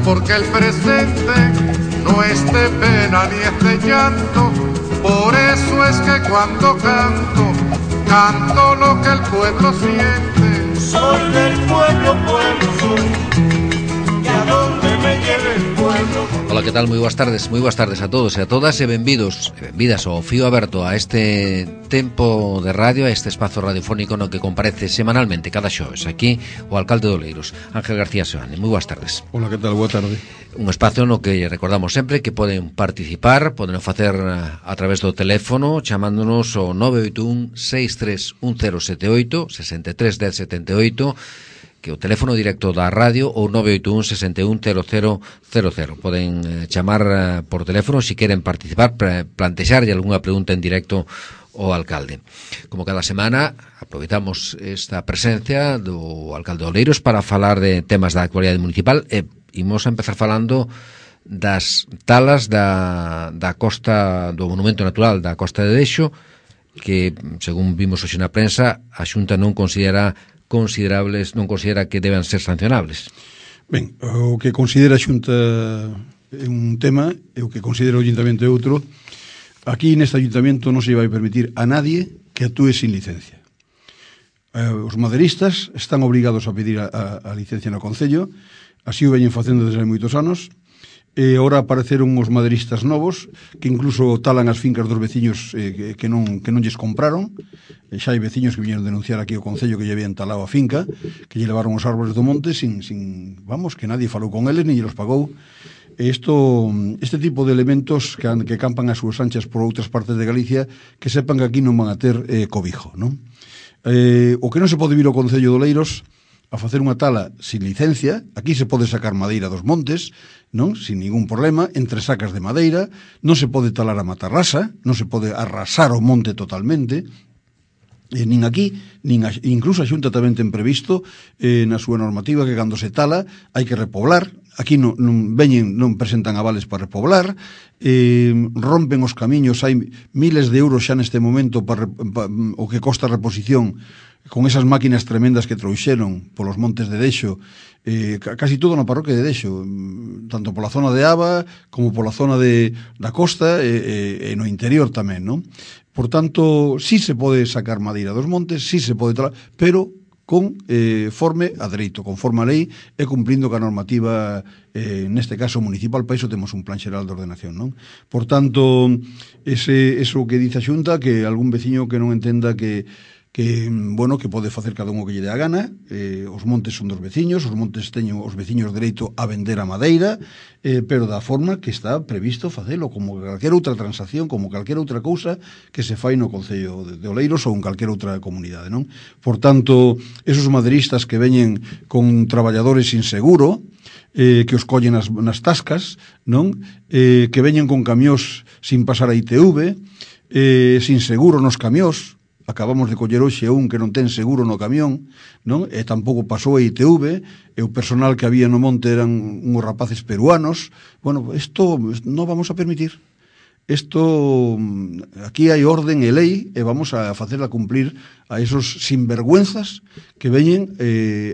porque el presente no es de pena ni es de llanto. Por eso es que cuando canto, canto lo que el pueblo siente. Soy del pueblo, pueblo soy, y a donde me lleve el pueblo. Ola, que tal? Moi boas tardes a todos e a todas e benvidos e benvidas ao Fío Aberto, a este tempo de radio, a este espazo radiofónico no que comparece semanalmente cada xoves aquí o alcalde de Oleiros, Ángel García Seoane. Moi boas tardes. Ola, que tal? Boa tarde. Un espazo no que recordamos sempre que poden participar, poden facer a través do teléfono chamándonos ao 981 631078 63 1078, que o teléfono directo da radio, ou 981 61 0000. Poden chamar por teléfono se queren participar, plantexarlle algunha pregunta en directo ao alcalde. Como cada semana, aproveitamos esta presencia do alcalde de Oleiros para falar de temas da actualidade municipal e imos a empezar falando das talas da costa, do monumento natural da Costa de Dexo, que, según vimos hoxe na prensa, a Xunta non considera que deban ser sancionables. Ben, o que considera a Xunta é un tema e o que considera o Ayuntamento é outro. Aquí neste Ayuntamento non se vai permitir a nadie que actúe sin licencia. Os maderistas están obrigados a pedir a licencia no Concello, así o veñen facendo desde hai moitos anos, e agora apareceron os maderistas novos que incluso talan as fincas dos veciños que non lles compraron. Xa hai veciños que viñeron denunciar aquí ao Concello que lle habían talado a finca, que lle levaron os árboles do monte sin que nadie falou con eles ni lle los pagou. Este tipo de elementos que campan as súas anchas por outras partes de Galicia, que sepan que aquí non van a ter cobijo, non? O que non se pode vir ao Concello de Oleiros a facer unha tala sin licencia. Aquí se pode sacar madeira dos montes, non? Sin ningún problema, entre sacas de madeira. Non se pode talar a matarrasa, non se pode arrasar o monte totalmente. Nin aquí, incluso a Xunta tamén ten previsto na súa normativa que cando se tala hai que repoblar. Aquí non presentan avales para repoblar, rompen os camiños, hai miles de euros xa neste momento para o que costa a reposición con esas máquinas tremendas que trouxeron polos montes de Dexo, casi todo na parroquia de Dexo, tanto pola zona de Aba como pola zona da costa e no interior tamén, non? Por tanto, sí se pode sacar madeira dos montes, sí se pode talar, pero conforme a dereito, conforme a lei e cumplindo ca normativa, neste caso municipal. Para iso temos un plan xeral de ordenación, non? Por tanto, eso que dice a Xunta, que algún veciño que non entenda que pode facer cada un o que lle dé a gana. Os montes son dos veciños, os montes teñen os veciños dereito a vender a madeira, pero da forma que está previsto facelo, como calquera outra transacción, como calquera outra cousa que se fai no Concello de Oleiros ou en calquera outra comunidade, non? Por tanto, esos maderistas que veñen con traballadores sin seguro, que os collen nas tascas, non? Que veñen con camións sin pasar a ITV, sin seguro nos camións. Acabamos de coller hoxe un que non ten seguro no camión, non? E tampouco pasou a ITV, e o personal que había no monte eran uns rapaces peruanos. Bueno, isto non vamos a permitir. Aquí hai orden e lei e vamos a facela cumplir a esos sinvergüenzas que veñen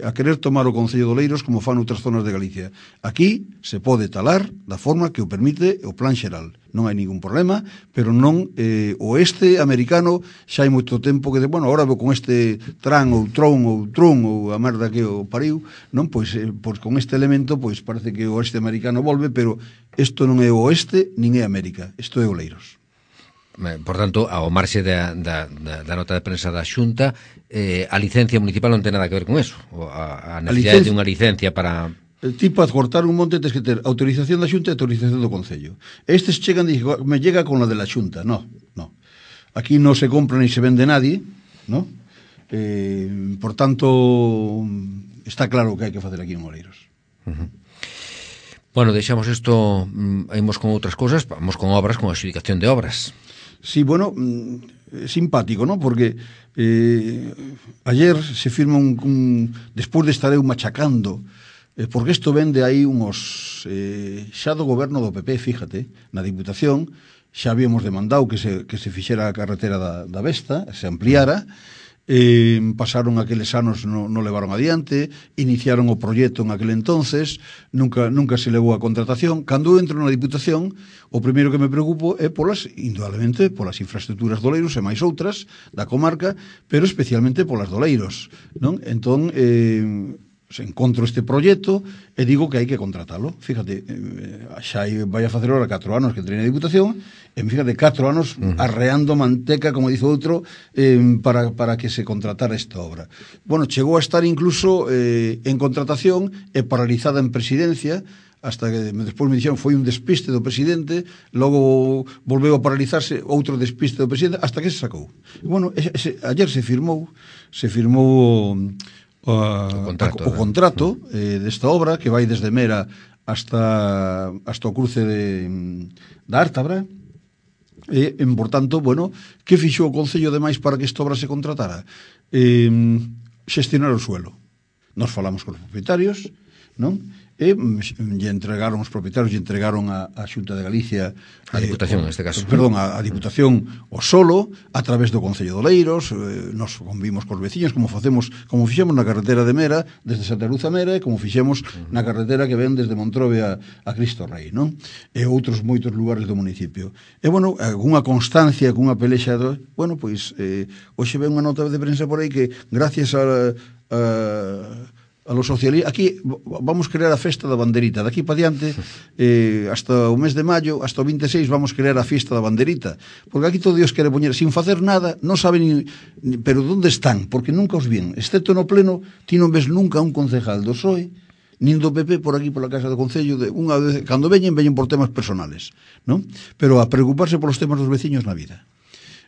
a querer tomar o Concello de Oleiros como fan outras zonas de Galicia. Aquí se pode talar da forma que o permite o plan xeral. Non hai ningún problema, pero non o americano xa hai moito tempo que agora vou con este tran ou tron ou a merda que o pariu, non? Pois con este elemento parece que o oeste americano volve, pero isto non é o oeste nin é América, isto é Oleiros. Por tanto, ao marxe da nota de prensa da Xunta, a licencia municipal non ten nada que ver con eso, a necesidade de unha licencia para... Ti para cortar un monte tens que ter autorización da Xunta e autorización do Concello. Estes chegan e dicen, me llega con la de la Xunta. No. Aquí non se compra ni se vende nadie, ¿no? Por tanto, está claro que hai que facer aquí en Oleiros. Bueno, deixamos isto, imos con outras cousas, vamos con obras, con a adxudicación de obras. Sí, bueno, simpático, ¿no? Porque ayer se firma despois de estar eu machacando, porque isto vende aí unhos xa do goberno do PP, fíjate, na Diputación xa habíamos demandado que se fixera a carretera da Vesta, se ampliara, pasaron aqueles anos, non levaron adiante, iniciaron o proxecto en aquel entonces, nunca se levou a contratación. Cando entro na Diputación, o primeiro que me preocupo é indudablemente, polas infraestructuras de Oleiros e máis outras da comarca, pero especialmente polas de Oleiros, non? Entón, encontro este proxecto e digo que hai que contratalo. Fíjate, xa vai a facer ahora 4 anos que entrei na Diputación, e fíjate, 4 anos arreando manteca, como dice outro, para que se contratara esta obra. Bueno, chegou a estar incluso en contratación e paralizada en presidencia, hasta que despois me dixeron foi un despiste do presidente, logo volveu a paralizarse, outro despiste do presidente, hasta que se sacou. Bueno, ayer se firmou o contrato desta obra, que vai desde Mera hasta o cruce da Ártabra. E, por tanto, bueno, que fixo o Concello demais para que esta obra se contratara? Xestionar o suelo. Nos falamos con os propietarios, non? E lle entregaron os propietarios, lle entregaron a Xunta de Galicia, a Diputación neste caso, perdón, a Diputación o solo a través do Concello de Oleiros. Nos convimos cos veciños, como fixemos na carretera de Mera desde Santa Luz a Mera, e como fixemos na carretera que ven desde Montrobe a Cristo Rei, non? E outros moitos lugares do municipio. E bueno, cunha constancia, cunha pelexa bueno, pois hoxe ven unha nota de prensa por aí que gracias a los socialistas, aquí vamos crear a festa da banderita, daqui para diante hasta o mes de maio, hasta o 26 vamos crear a fiesta da banderita, porque aquí todo Dios quere poñer sin facer nada, non saben pero onde están, porque nunca os ven, excepto no pleno, ti non ves nunca un concejal do PSOE nin do PP por aquí pola casa do Concello, unha vez, cando veñen por temas personales, non? Pero a preocuparse polos temas dos veciños na vida.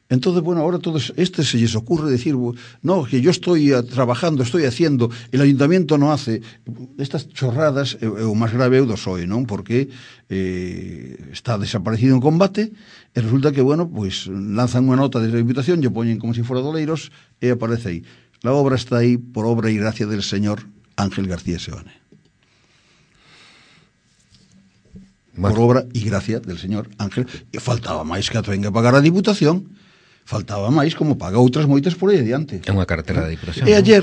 Entonces, bueno, ahora todos se les ocurre decir, no, que yo estoy trabajando, estoy haciendo, el ayuntamiento no hace. Estas chorradas, o máis grave é o do PSOE, non? Porque está desaparecido en combate, e resulta que, bueno, pues lanzan unha nota desde a Diputación, lle poñen como se fora de Oleiros, e aparece aí. La obra está aí por obra y gracia del señor Ángel García Seoane. Por obra y gracia del señor Ángel. E faltaba máis que a tenga que pagar a Diputación. Faltaba máis, como paga outras moitas por aí adiante. É unha carretera da Diputación. E ayer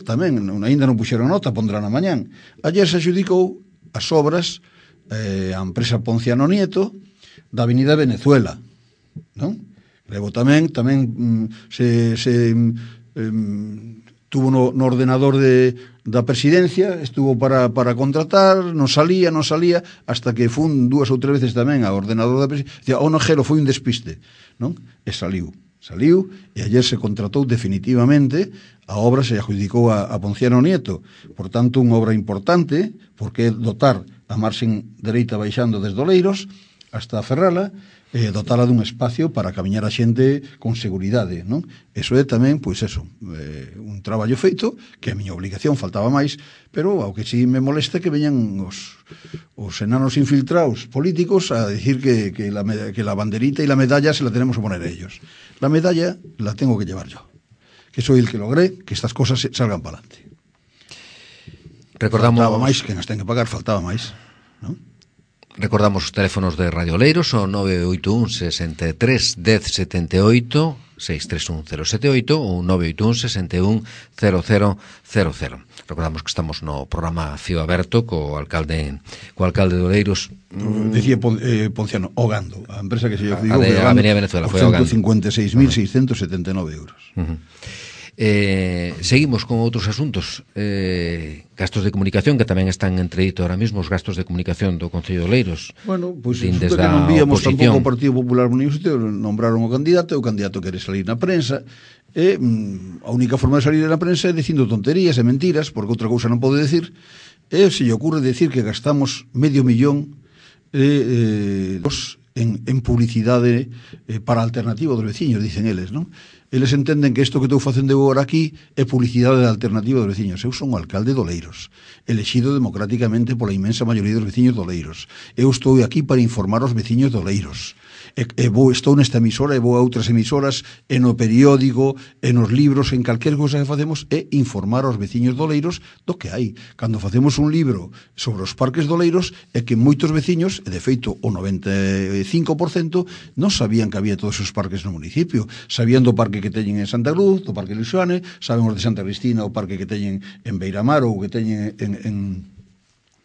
tamén, ainda non puxeron nota, pondrán a mañán. Ayer se adjudicou as obras a empresa Ponciano Nieto da Avenida Venezuela, non? Levo tamén se tuvo no ordenador da presidencia, estuvo para contratar, non salía, hasta que fun 2 ou 3 veces tamén ao ordenador da presidencia, o nojero foi un despiste, non? E saliu, e ayer se contratou definitivamente, a obra se adjudicou a Ponciano Nieto, por tanto, unha obra importante, porque é dotar a marxen dereita baixando desde Oleiros hasta Ferrala, dotala dun espacio para camiñar a xente con seguridade, non? Eso é tamén, pois eso, un traballo feito, que a miña obligación faltaba máis, pero ao que si me molesta que veñan os enanos infiltrados políticos a decir que la banderita e la medalla se la tenemos que poner a ellos. La medalla la tengo que llevar yo, que soy el que logré que estas cosas salgan para adelante. Faltaba máis, que nos ten que pagar, faltaba máis, non? Recordamos os teléfonos de Radio Oleiros, o 981 63 10 78, 631 078 ou 981 61 0000. Recordamos que estamos no programa Fío Aberto co alcalde de Oleiros. Decía Ponciano, Ogando, a empresa que se lle digo que a Avenida Venezuela foi Ogando. 156.679 euros. Seguimos con outros asuntos, gastos de comunicación que tamén están entredito ahora mesmo, os gastos de comunicación do Concello de Oleiros. Bueno, pois resulta que non víamos tampouco o Partido Popular Municipal, nombraron o candidato quere salir na prensa, e a única forma de salir na prensa é dicindo tonterías e mentiras, porque outra cousa non pode decir, e se lle ocurre decir que gastamos $500,000 en publicidade para a alternativa dos veciños, dicen eles, non? Eles entenden que isto que estou facendo agora aquí é publicidade da alternativa dos veciños. Eu son o alcalde de Oleiros, elexido democráticamente pola inmensa maioría dos veciños de Oleiros. Eu estou aquí para informar aos veciños de Oleiros. estou nesta emisora e vou a outras emisoras, e no periódico, e nos libros, en calquer cosa que facemos, é informar aos veciños do Oleiros do que hai. Cando facemos un libro sobre os parques do Oleiros, é que moitos veciños, e de feito o 95%, non sabían que había todos os parques no municipio. Sabían do parque que teñen en Santa Cruz, do parque Luxoane, saben os de Santa Cristina, o parque que teñen en Beiramar ou que teñen en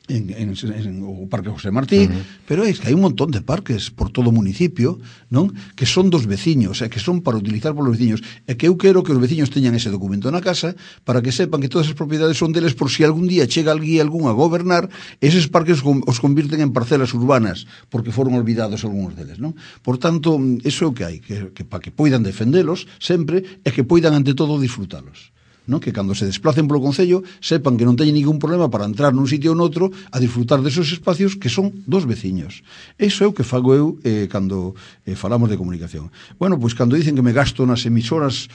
o Parque José Martí, pero é que hai un montón de parques por todo o municipio, non? Que son dos veciños, que son para utilizar polos veciños, e que eu quero que os veciños teñan ese documento na casa para que sepan que todas as propiedades son deles, por si algún día chega algún a gobernar, eses parques os convirten en parcelas urbanas, porque foron olvidados algúns deles, non? Por tanto, iso é o que hai, que para que poidan defendelos sempre, e que poidan ante todo disfrutalos, non? Que cando se desplacen polo Concello sepan que non teñen ningún problema para entrar nun sitio ou noutro a disfrutar desos espacios que son dos veciños. Iso é o que fago eu cando falamos de comunicación. Bueno, pois cando dicen que me gasto nas emisoras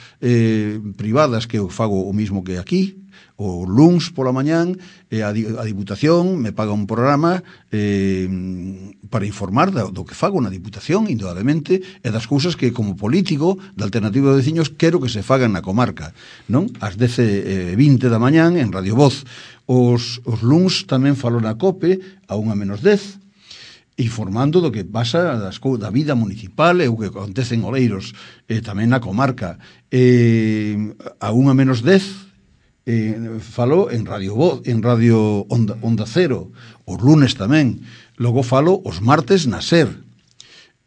privadas, que eu fago o mismo que aquí, o luns pola mañán, a Diputación me paga un programa para informar do que fago na Diputación, indudablemente, e das cousas que, como político da Alternativa de Veciños, quero que se fagan na comarca, non? Ás 10:20 da mañán, en Radio Voz. Os luns tamén falo na COPE, a 1:10, informando do que pasa da vida municipal e o que acontece en Oleiros, tamén na comarca. A 1:10, falo en Radio Voz, en Radio Onda Cero, os lunes tamén. Logo falo os martes na SER.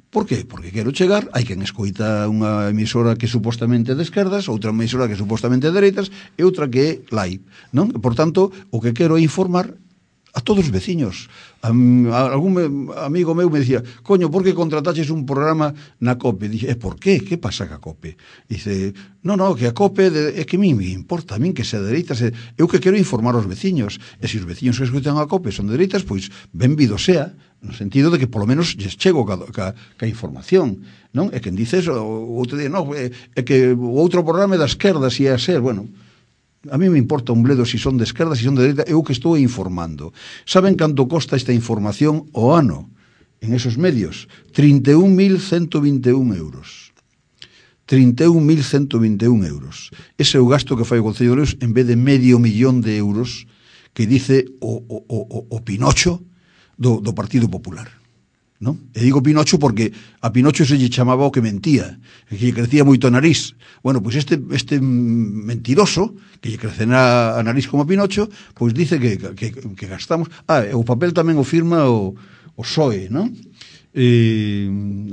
Por qué? Porque quero chegar, hai quen escoita unha emisora que supostamente é de esquerdas, outra emisora que supostamente é de dereitas, e outra que é live, non? Por tanto, o que quero é informar a todos os veciños. Algún amigo meu me dicía: coño, por que contrataches un programa na COPE? Dixe, por qué? Que pasa ca COPE? Dice, no, que a COPE é que a mí me importa, a mí que sea de dereitas, eu que quero informar aos veciños, e se os veciños que escutan a COPE son de dereitas, pois benvido sea, no sentido de que polo menos lles chego ca información, non? E quen dice eso, o outro día, é que o outro programa é da esquerda, se é a ser, bueno, a mí me importa un bledo se son de esquerda, se son de dereita, eu que estou informando. Saben canto costa esta información o ano en esos medios? 31.121 euros. 31.121 euros. Ese é o gasto que fai o Concello de Oleiros en vez de $500.000 que dice o Pinocho do Partido Popular, non? E digo Pinocho porque a Pinocho se lle chamaba o que mentía, que lle crecía moito a nariz. Bueno, pois este mentiroso, que lle crecerá a nariz como a Pinocho, pois dice que gastamos. O papel tamén o firma o PSOE, non?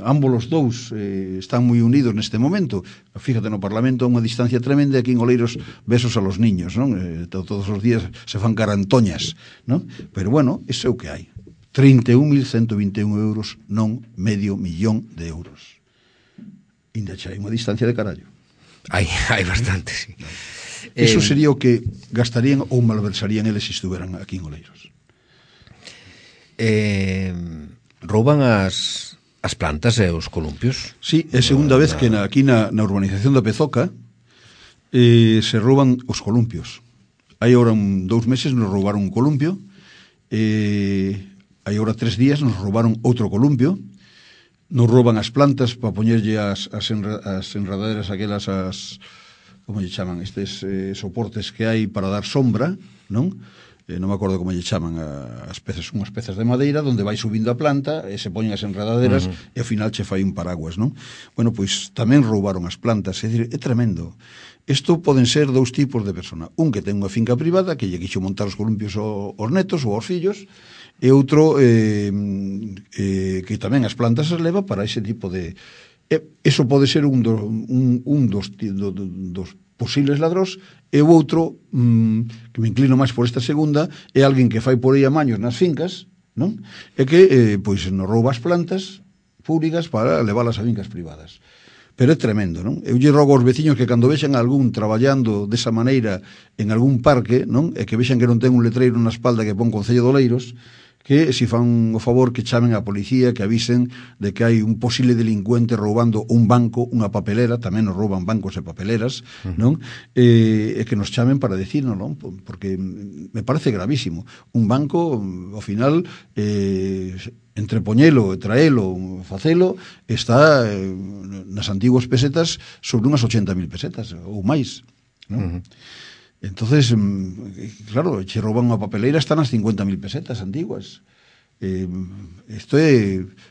Ambos os dous están moi unidos neste momento. Fíjate, no Parlamento a unha distancia tremenda, aquí en Oleiros besos a los niños, non? Todos os días se fan carantoñas, non? Pero bueno, iso é o que hai. 31.121 euros, non $500.000. Ainda xa hai unha distancia de carallo. Hai bastante, sí. Eso sería o que gastarían ou malversarían eles se estuveran aquí en Oleiros. Rouban as plantas e os columpios? Sí, é segunda vez que aquí na urbanización da Pezoca se rouban os columpios. Hai ahora 2 meses nos roubaron un columpio, hai ahora 3 días nos roubaron outro columpio, nos rouban as plantas para poñerlle as enredaderas aquelas, como lle chaman, estes soportes que hai para dar sombra, non? Non me acordo como lle chaman, unhas pezas de madeira onde vai subindo a planta e se poñen as enredaderas e ao final che fai un paraguas, non? Bueno, pois tamén roubaron as plantas, é dicir, é tremendo. Isto poden ser 2 tipos de persona: un que ten unha finca privada que lle quixo montar os columpios aos netos ou aos fillos, e outro que tamén as plantas as leva para ese tipo de... Eso pode ser un dos posibles ladróns, e o outro, que me inclino máis por esta segunda, é alguén que fai por aí amaños nas fincas, non? E que pois nos rouba as plantas públicas para leválas a fincas privadas. Pero é tremendo, non? Eu lle rogo aos veciños que cando vexan algún traballando desa maneira en algún parque, non? E que vexan que non ten un letreiro na espalda que pon Concello de Oleiros, que si fan o favor que chamen a policía, que avisen de que hai un posible delincuente roubando un banco, unha papelera, tamén nos rouban bancos e papeleras, non? E que nos chamen para decirnos, non? Porque me parece gravísimo. Un banco, ao final, entre poñelo e traelo, facelo, está nas antiguas pesetas sobre unhas 80.000 pesetas ou máis, non? Entonces, claro, che rouban unha papeleira, están as 50.000 pesetas antiguas.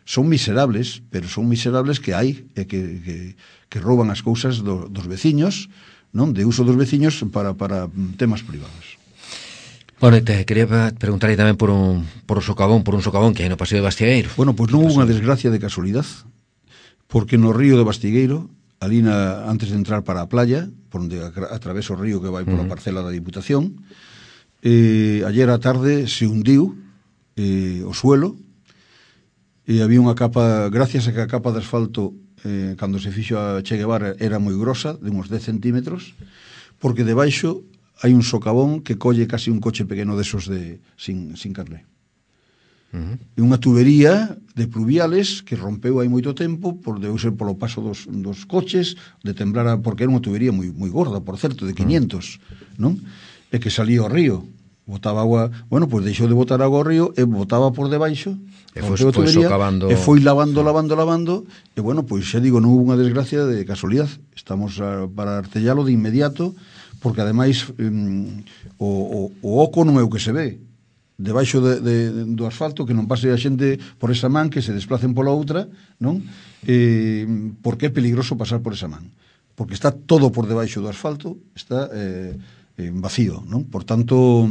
Son miserables, pero son miserables que hai, que rouban as cousas dos veciños, non? De uso dos veciños para temas privados. Bueno, te quería preguntar aí tamén por un socavón que hai no Paseo de Bastigueiro. Bueno, pois non houve unha desgracia de casualidad, porque no río de Bastigueiro, ali antes de entrar para a playa, por onde atraveso o río que vai pola parcela da Diputación, ayer á tarde se hundiu o suelo, e había unha capa, gracias a que a capa de asfalto cando se fixo a Che Guevara era moi grosa, de uns 10 centímetros, porque debaixo hai un socavón que colle casi un coche pequeno desos sin carné. E unha tubería de pluviales que rompeu hai moito tempo, debeu ser polo paso dos coches, de temblar, porque era unha tubería moi gorda, por certo, de 500, non? E que salía ao río, botaba agua, bueno, pois deixou de botar agua ao río e botaba por debaixo, e foi socavando, e foi lavando, e bueno, pois xa digo, non hubo unha desgracia de casualidad, estamos para artellalo de inmediato, porque ademais o oco non é o que se ve, debaixo do asfalto, que non pase a xente por esa man, que se desplacen pola outra, non? Porque é peligroso pasar por esa man, porque está todo por debaixo do asfalto, está vacío, non? Por tanto,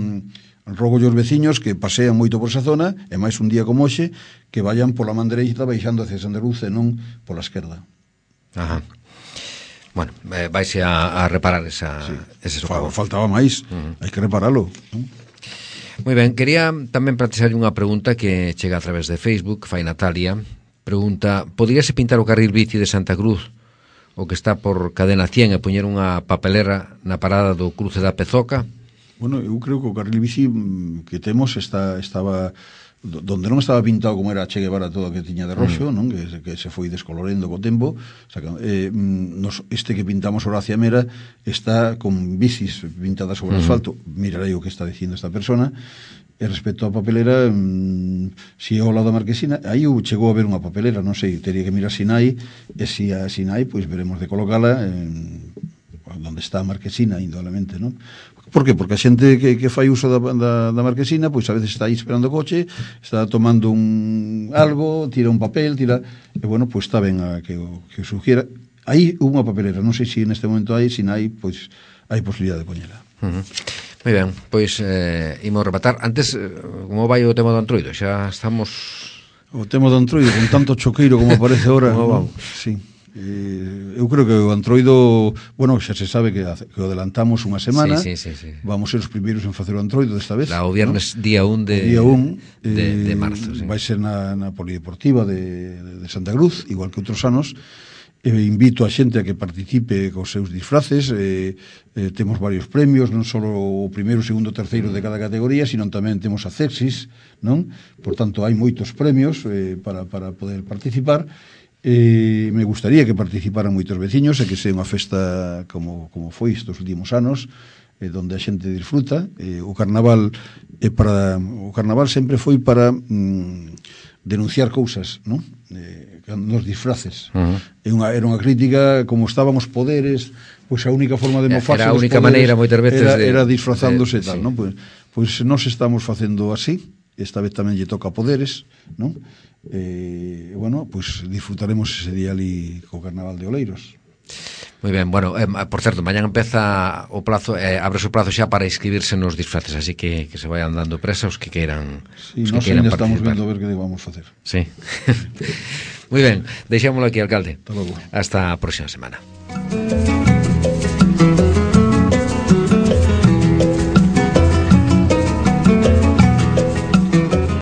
rogo aos veciños que pasean moito por esa zona, e máis un día como hoxe, que vayan pola man dereita baixando hacia Santa Cruz e non pola esquerda. Ajá. Bueno, vaise a reparar ese socavón. Faltaba máis, hai que reparalo, non? Moi ben, quería tamén plantexarlle unha pregunta que chega a través de Facebook, fai Natalia. Pregunta, poderíase pintar o carril bici de Santa Cruz, o que está por Cadena 100, e poñer unha papelera na parada do cruce da Pezoca? Bueno, eu creo que o carril bici que temos estaba donde non estaba pintado como era Che Guevara todo que tiña de roxo, non? Que se foi descolorendo co tempo. O sea, este que pintamos Horacia Mera está con bicis pintadas sobre o asfalto. Mirarei o que está dicindo esta persona. E respecto á papelera, si é ao lado da Marquesina, aí chegou a haber unha papelera, non sei, teria que mirar Sinai, e si a Sinai, pois veremos de colocala onde está a Marquesina, indudablemente, non? Por que? Porque a xente que fai uso da Marquesina, pois a veces está aí esperando o coche, está tomando algo, tira un papel, e bueno, pois está ben que o sugiera. Aí hubo unha papelera, non sei se neste momento hai, se non hai, pois hai posibilidade de poñela. Moi ben, pois imos rematar. Antes, como vai o tema do Antroido? Xa estamos... O tema do Antroido, con tanto choqueiro como aparece ahora, ¿no? Sí. Eu creo que o Antroido, bueno, xa se sabe que o adelantamos unha semana. Sí. Vamos ser os primeiros en facer o Antroido desta vez. O viernes, ¿no? Día 1 de marzo, sí. Vai ser na Polideportiva de Santa Cruz, igual que outros anos. Invito a xente a que participe cos seus disfraces. Temos varios premios, non só o primeiro, segundo, terceiro de cada categoría, sino tamén temos a Cexis, non? Por tanto, hai moitos premios para poder participar. Me gustaría que participaran moitos veciños e que sea unha festa como foi estes últimos anos, donde a xente disfruta. O carnaval sempre foi para denunciar cousas, non? Nos disfraces. Era unha crítica, como estaban os poderes, pois a única forma de mofarse era a única maneira moitas veces era disfrazándose e tal, non? Pois nós estamos facendo así, esta vez tamén lle toca a poderes, non? Bueno, pois disfrutaremos ese día ali co Carnaval de Oleiros. Moi ben, bueno, por certo, mañan empeza o plazo, abre o plazo xa para inscribirse nos disfraces, así que se vayan dando presa os que queiran, sí, os que queiran participar. Estamos vendo a ver que vamos facer. Sí. Moi ben, deixámoslo aquí, alcalde. Hasta logo. Hasta a próxima semana.